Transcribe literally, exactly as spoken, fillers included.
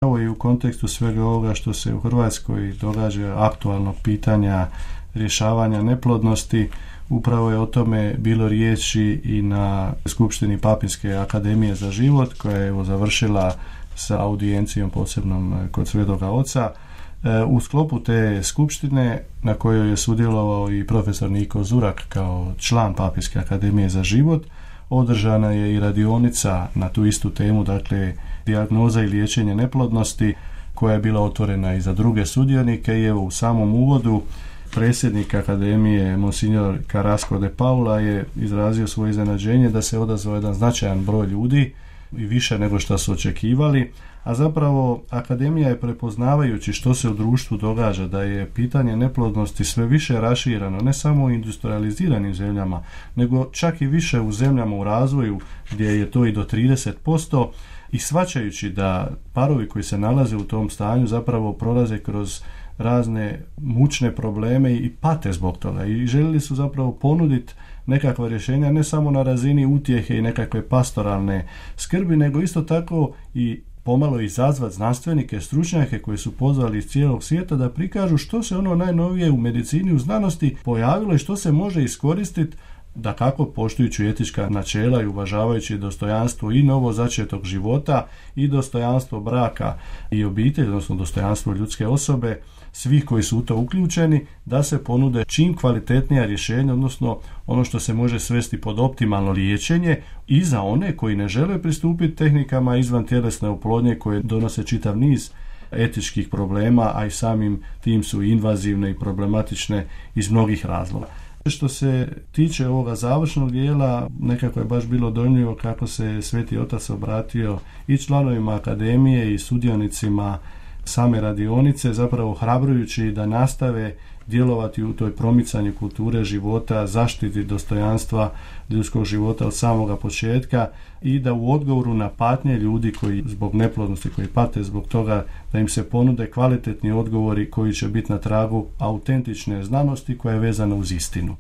Evo i u kontekstu svega ovoga što se u Hrvatskoj događa, aktualnog pitanja rješavanja neplodnosti, upravo je o tome bilo riječi i na Skupštini Papinske akademije za život, koja je evo završila sa audijencijom posebnom kod Svetoga Oca. U sklopu te skupštine, na kojoj je sudjelovao i profesor Niko Zurak kao član Papinske akademije za život, održana je i radionica na tu istu temu, dakle dijagnoza i liječenje neplodnosti, koja je bila otvorena i za druge sudionike. I evo u samom uvodu predsjednik akademije Monsignor Carrasco de Paula je izrazio svoje iznenađenje da se odazvao jedan značajan broj ljudi i više nego što su očekivali, a zapravo akademija je, prepoznavajući što se u društvu događa, da je pitanje neplodnosti sve više rašireno, ne samo u industrializiranim zemljama, nego čak i više u zemljama u razvoju gdje je to i do trideset posto, i shvaćajući da parovi koji se nalaze u tom stanju zapravo prolaze kroz razne mučne probleme i pate zbog toga, i željeli su zapravo ponuditi nekakva rješenja ne samo na razini utjehe i nekakve pastoralne skrbi, nego isto tako i pomalo izazvati znanstvenike, stručnjake koji su pozvali iz cijelog svijeta da prikažu što se ono najnovije u medicini, u znanosti pojavilo i što se može iskoristiti, da kako poštujući etička načela i uvažavajući dostojanstvo i novozačetog života i dostojanstvo braka i obitelji, odnosno dostojanstvo ljudske osobe, svih koji su u to uključeni, da se ponude čim kvalitetnija rješenja, odnosno ono što se može svesti pod optimalno liječenje, i za one koji ne žele pristupiti tehnikama izvan tjelesne oplodnje koje donose čitav niz etičkih problema, a i samim tim su invazivne i problematične iz mnogih razloga. Što se tiče ovoga završnog dijela, nekako je baš bilo dojmljivo kako se Sveti Otac obratio i članovima akademije i sudionicima same radionice, zapravo hrabrujući da nastave djelovati u toj promicanju kulture života, zaštiti dostojanstva ljudskog života od samoga početka, i da u odgovoru na patnje ljudi koji zbog neplodnosti, koji pate zbog toga, da im se ponude kvalitetni odgovori koji će biti na tragu autentične znanosti koja je vezana uz istinu.